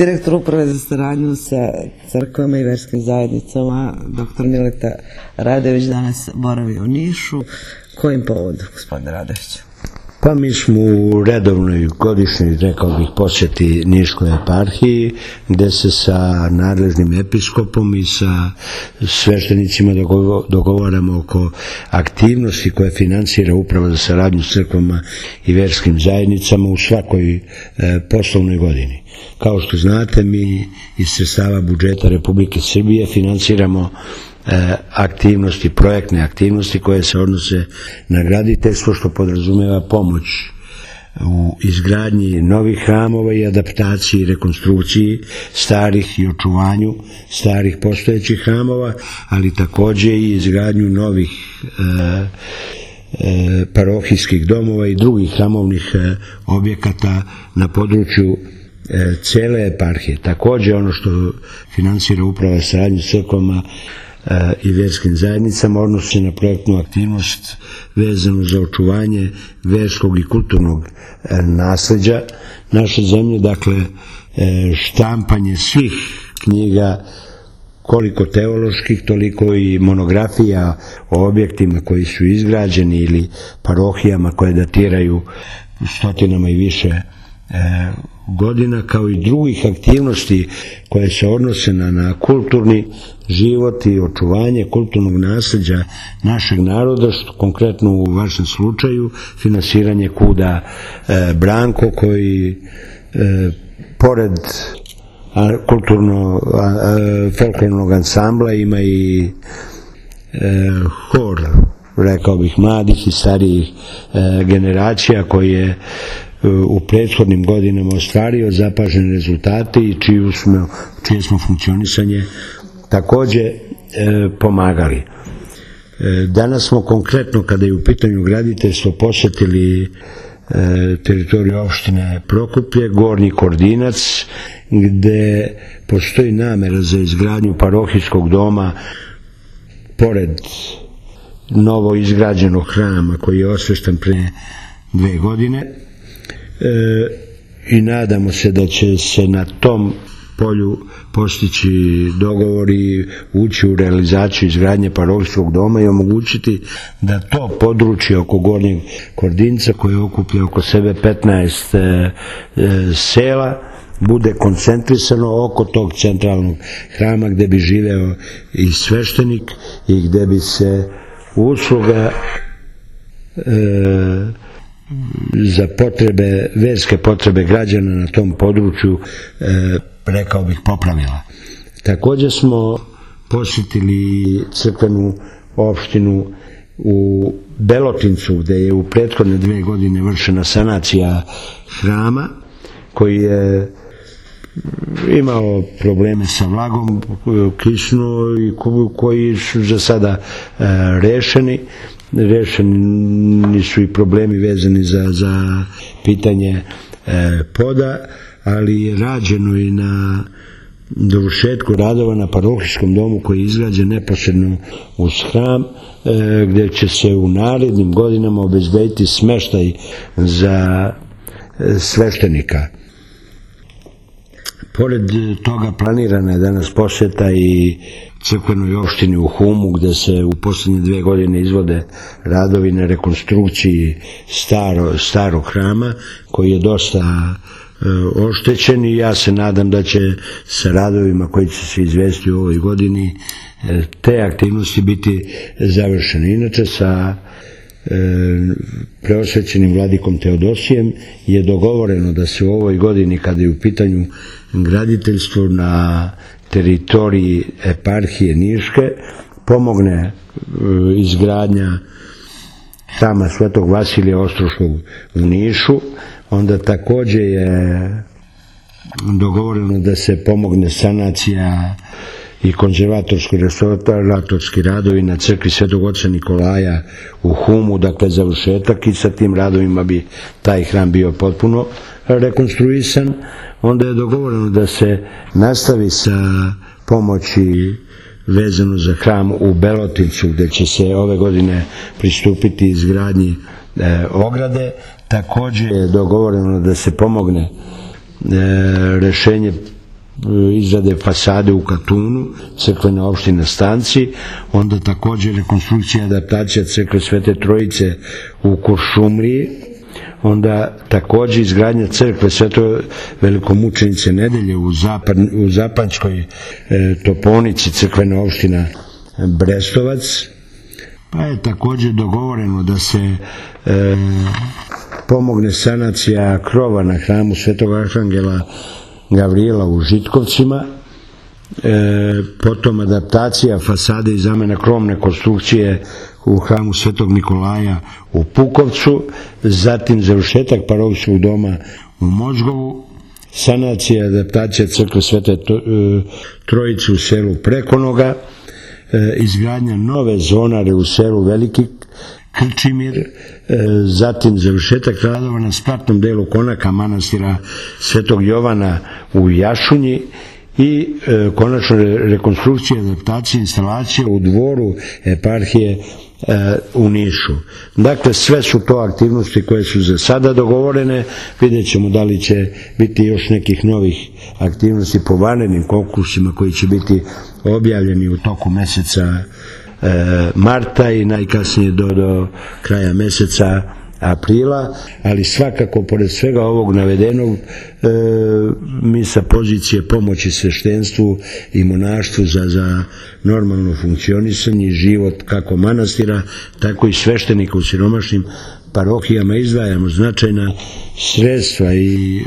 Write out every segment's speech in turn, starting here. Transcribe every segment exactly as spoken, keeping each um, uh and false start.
Direktor uprave za saradnju sa crkvama i verskim zajednicama, doktor Mileta Radojević, danas boravi u Nišu. Kojim povodom, gospodine Radojević? Pa mi smo u redovnoj godišnjoj, rekao bih, posjeti Niškoj eparhiji, gde se sa nadležnim episkopom i sa sveštenicima dogovaramo oko aktivnosti koje finansira Uprava za saradnju s crkvama i verskim zajednicama u svakoj e, poslovnoj godini. Kao što znate, mi iz sredstava budžeta Republike Srbije finansiramo aktivnosti, projektne aktivnosti koje se odnose na graditeljstvo, što podrazumeva pomoć u izgradnji novih hramova i adaptaciji i rekonstrukciji starih i očuvanju starih postojećih hramova, ali takođe i izgradnju novih e, e, parohijskih domova i drugih hramovnih e, objekata na području e, cele eparhije. Takođe ono što finansira Uprava saradnje s crkvama i verskim zajednicama odnosi na projektnu aktivnost vezanu za očuvanje verskog i kulturnog nasleđa naše zemlje, dakle štampanje svih knjiga, koliko teoloških, toliko i monografija o objektima koji su izgrađeni ili parohijama koje datiraju stotinama i više godina, kao i drugih aktivnosti koje se odnose na, na kulturni život i očuvanje kulturnog nasleđa našeg naroda, što konkretno u vašem slučaju finansiranje Kuda e, Branko, koji e, pored a, kulturno a, a, folklornog ansambla ima i e, hor, rekao bih, mladih i starijih e, generacija koji je u prethodnim godinama ostvario zapažene rezultate i čiju smo, čije smo funkcionisanje takođe e, pomagali. E, danas smo konkretno, kada je u pitanju graditeljstvo, posjetili e, teritoriju opštine Prokuplje, Gornji Kordinac, gde postoji namera za izgradnju parohijskog doma pored novo izgrađenog hrama koji je osveštan pre dve godine. E, i nadamo se da će se na tom polju postići dogovori, ući u realizaciju izgradnje parohijskog doma i omogućiti da to područje oko Gornjeg Kordinca, koje okuplja oko sebe petnaest e, e, sela, bude koncentrisano oko tog centralnog hrama gde bi živeo i sveštenik i gde bi se usluga e, za potrebe, verske potrebe građana na tom području, e, rekao bih, popravila. Takođe smo posjetili crkvenu opštinu u Belotincu, gde je u prethodne dve godine vršena sanacija hrama, koji je imao probleme sa vlagom, kišnu, i koji su za sada e, rešeni. Rešeni su i problemi vezani za, za pitanje e, poda, ali je rađeno i na dovršetku radova na parohijskom domu koji je izgrađen neposredno uz hram, e, gde će se u narednim godinama obezbediti smeštaj za e, sveštenika. Pored toga planirana je danas posjeta i crkvenoj opštini u Humu, gde se u poslednje dve godine izvode radovi na rekonstrukciji staro, starog hrama, koji je dosta e, oštećen, i ja se nadam da će sa radovima koji će se izvesti u ovoj godini e, te aktivnosti biti završene. Inače, sa e, preosvećenim vladikom Teodosijem je dogovoreno da se u ovoj godini, kada je u pitanju graditeljstvo na teritoriji eparhije Niške, pomogne e, izgradnja hrama Svetog Vasilija Ostroškog u Nišu. Onda takođe je dogovoreno da se pomogne sanacija i konzervatorsko-restauratorski radovi na crkvi Svetog oca Nikolaja u Humu, dakle završetak, i sa tim radovima bi taj hram bio potpuno rekonstruisan. Onda je dogovoreno da se nastavi sa pomoći vezano za hram u Belotincu, gde će se ove godine pristupiti izgradnji e, ograde. Takođe je dogovoreno da se pomogne e, rešenje izrade fasade u Katunu, crkvena opština Stanci, onda također rekonstrukcija i adaptacija crkve Svete Trojice u Kuršumliji, onda također izgradnja crkve Sveto velikomučenice Nedelje u, zapad, u Zapanjskoj e, Toponici, crkvena opština Brestovac, pa je također dogovoreno da se e, pomogne sanacija krova na hramu Svetog Arhangela Gavrijela u Žitkovcima, e, potom adaptacija fasade i zamena krovne konstrukcije u hramu Svetog Nikolaja u Pukovcu, zatim završetak parohijskog doma u Mozgovu, sanacija i adaptacija crkve Svete Trojice u selu Prekonoga, e, izgradnja nove zvonare u selu Veliki Krčimir, e, zatim završetak radova na spratnom delu konaka manastira Svetog Jovana u Jašunji i e, konačno rekonstrukcija, adaptacija, instalacija u dvoru eparhije e, u Nišu. Dakle, sve su to aktivnosti koje su za sada dogovorene. Vidjet ćemo da li će biti još nekih novih aktivnosti po vanrednim konkursima koji će biti objavljeni u toku meseca marta i najkasnije do, do kraja meseca aprila, ali svakako pored svega ovog navedenog e, mi sa pozicije pomoći sveštenstvu i monaštvu za, za normalno funkcionisanje i život kako manastira, tako i sveštenika u siromašnim parohijama izdvajamo značajna sredstva i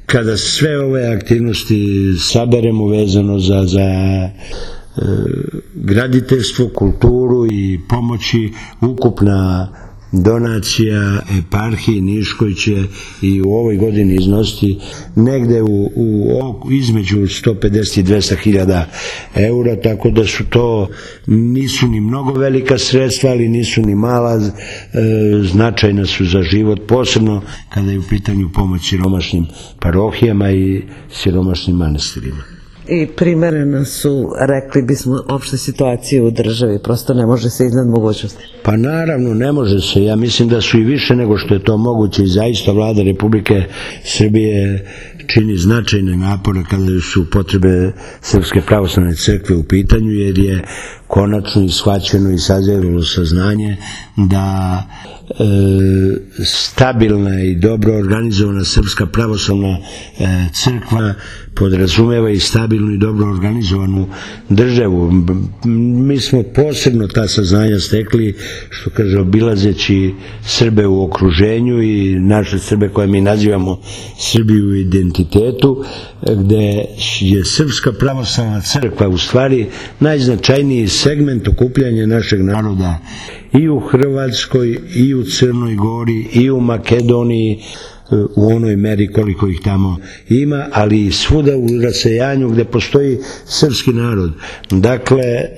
kada sve ove aktivnosti saberemo vezano za, za e, graditeljstvo, kulturu i pomoći, ukupna donacija eparhiji Niškoj će i u ovoj godini iznositi negde u, u između sto pedeset i dvesta hiljada eura, tako da su to, nisu ni mnogo velika sredstva, ali nisu ni mala, e, značajna su za život, posebno kada je u pitanju pomoć siromašnim parohijama i siromašnim manastirima. I primereno su, rekli bismo, opšte situacije u državi, prosto ne može se iznad mogućnosti. Pa naravno ne može se, ja mislim da su i više nego što je to moguće i zaista vlada Republike Srbije čini značajne napore kada su potrebe Srpske pravoslavne crkve u pitanju, jer je konačno i shvaćeno i sazrelo saznanje da e, stabilna i dobro organizovana Srpska pravoslavna e, crkva podrazumeva i stabilnu i dobro organizovanu državu. Mi smo posebno ta saznanja stekli, što kaže, obilazeći Srbe u okruženju i naše Srbe koje mi nazivamo Srbiju u identitetu, gde je Srpska pravoslavna crkva u stvari najznačajniji segment okupljanja našeg naroda i u Hrvatskoj, i u Crnoj Gori, i u Makedoniji, u onoj meri koliko ih tamo ima, ali i svuda u rasejanju gde postoji srpski narod. Dakle, e,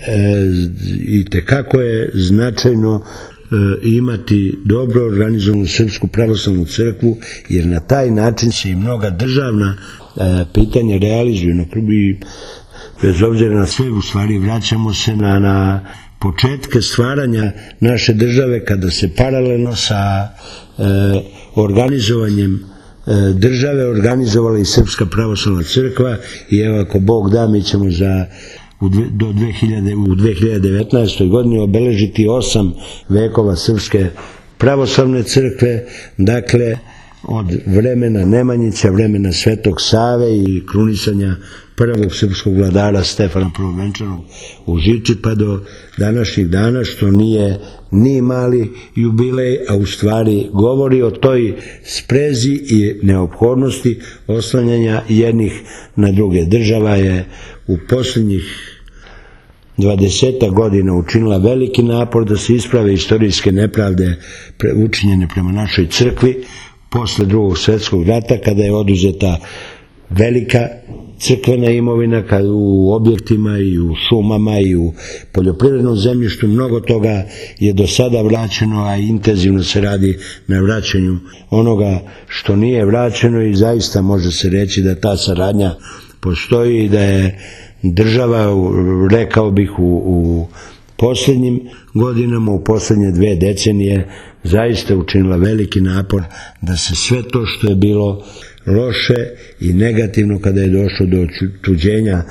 i tekako je značajno e, imati dobro organizovanu Srpsku pravoslavnu crkvu, jer na taj način se i mnoga državna e, pitanja realizuju. Na prvi, bez obzira na sve, u stvari vraćamo se na, na početke stvaranja naše države, kada se paralelno sa e, organizovanjem e, države organizovala i Srpska pravoslavna crkva, i evo, ako Bog da, mi ćemo za u, dve, do dve hiljade, u dve hiljade devetnaestoj godini obeležiti osam vekova Srpske pravoslavne crkve, dakle od vremena Nemanjića, vremena Svetog Save i krunisanja prvog srpskog vladara Stefana Prvovenčanog u Žiči, pa do današnjih dana, što nije ni mali jubilej, a u stvari govori o toj sprezi i neophodnosti oslanjanja jednih na druge. Država je u posljednjih dvadeset godina učinila veliki napor da se isprave istorijske nepravde učinjene prema našoj crkvi posle Drugog svjetskog rata, kada je oduzeta velika crkvena imovina, kad u objektima i u šumama i u poljoprivrednom zemljištu mnogo toga je do sada vraćeno, a intenzivno se radi na vraćanju onoga što nije vraćeno, i zaista može se reći da ta saradnja postoji i da je država, rekao bih, u, u posljednjim godinama, u posljednje dve decenije zaista učinila veliki napor da se sve to što je bilo loše i negativno kada je došlo do tuđenja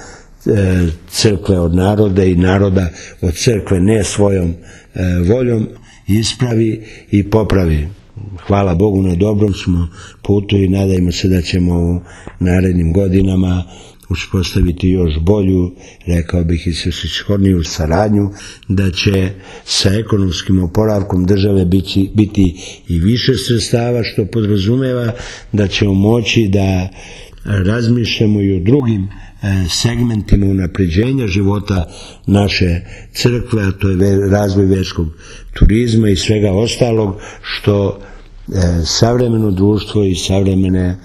crkve od naroda i naroda od crkve ne svojom voljom, ispravi i popravi. Hvala Bogu, na dobrom smo putu i nadajmo se da ćemo u narednim godinama uspostaviti još bolju, rekao bih i svrsishodniju saradnju, da će sa ekonomskim oporavkom države biti, biti i više sredstava, što podrazumeva da ćemo moći da razmišljamo i o drugim segmentima unapređenja života naše crkve, a to je razvoj verskog turizma i svega ostalog što savremeno društvo i savremene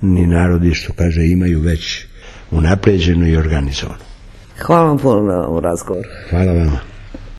narodi, što kaže, imaju već unapređeno i organizovano. Hvala vam puno na ovom razgovoru. Hvala vama.